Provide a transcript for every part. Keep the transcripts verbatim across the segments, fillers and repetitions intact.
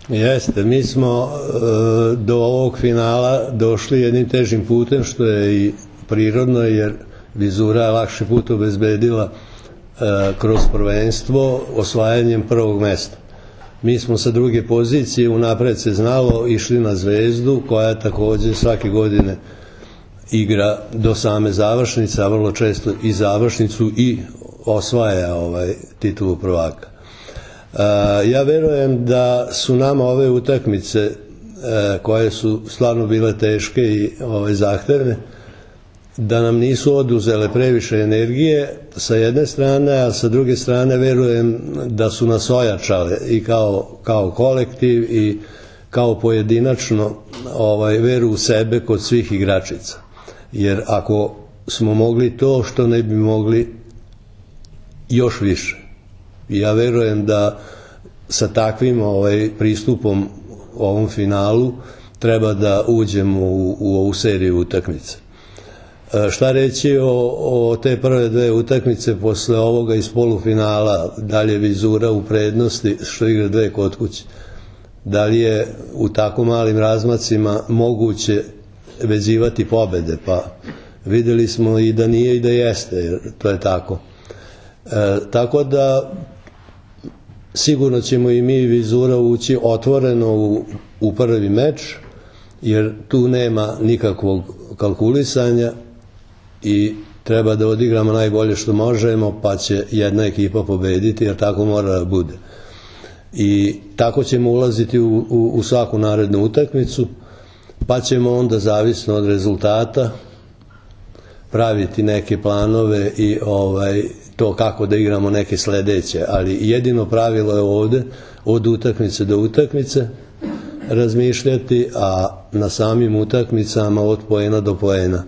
Jeste, mi smo do ovog finala došli jednim težim putem, što je i prirodno, jer Vizura je lakši put obezbedila kroz prvenstvo osvajanjem prvog mesta. Mi smo sa druge pozicije, unapred se znalo, išli na Zvezdu, koja takođe svake godine igra do same završnice, a vrlo često i završnicu i osvaja ovaj titulu prvaka. Ja verujem da su nama ove utakmice, koje su stvarno bile teške i zahtevne, da nam nisu oduzele previše energije sa jedne strane, a sa druge strane verujem da su nas ojačale i kao kolektiv i kao pojedinačno veru u sebe kod svih igračica. Jer ako smo mogli to, što ne bi mogli još više. I ja verujem da sa takvim pristupom ovom finalu treba da uđemo u ovu seriju utakmice. Šta reći o te prve dve utakmice posle ovoga iz polufinala? Da li je Vizura u prednosti što igra dve kod kuće? Da li je u tako malim razmacima moguće vezivati pobede? Pa videli smo i da nije i da jeste, jer to je tako. Tako da sigurno ćemo i mi i Vizura ući otvoreno u prvi meč, jer tu nema nikakvog kalkulisanja i treba da odigramo najbolje što možemo, pa će jedna ekipa pobediti, jer tako mora da bude. I tako ćemo ulaziti u svaku narednu utakmicu, pa ćemo onda, zavisno od rezultata, praviti neke planove i to kako da igramo neke sledeće, ali jedino pravilo je ovde od utakmice do utakmice razmišljati, a na samim utakmicama od poena do poena.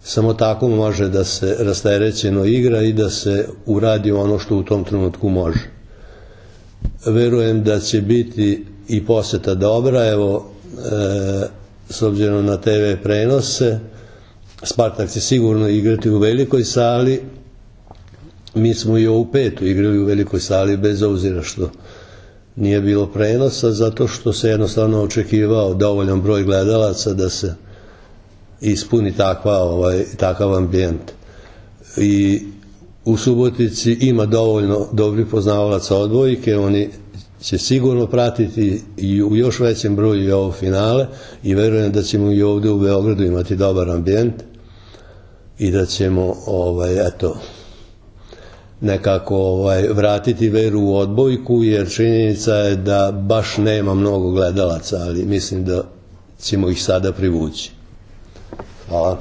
Samo tako može da se rasterećeno igra i da se uradi ono što u tom trenutku može. Verujem da će biti i poseta dobra, evo, s obzirom na te ve prenose, Spartak će sigurno igrati u velikoj sali. Mi smo i ovu petu igrali u velikoj sali, bez obzira što nije bilo prenosa, zato što se jednostavno očekivao dovoljan broj gledalaca da se ispuni takav ambijent. I u Subotici ima dovoljno dobrih poznavalaca odbojke, oni će sigurno pratiti i u još većem broju i ovo finale i verujem da ćemo i ovde u Beogradu imati dobar ambijent i da ćemo, eto, nekako vratiti veru u odbojku, jer činjenica je da baš nema mnogo gledalaca, ali mislim da ćemo ih sada privući. Hvala.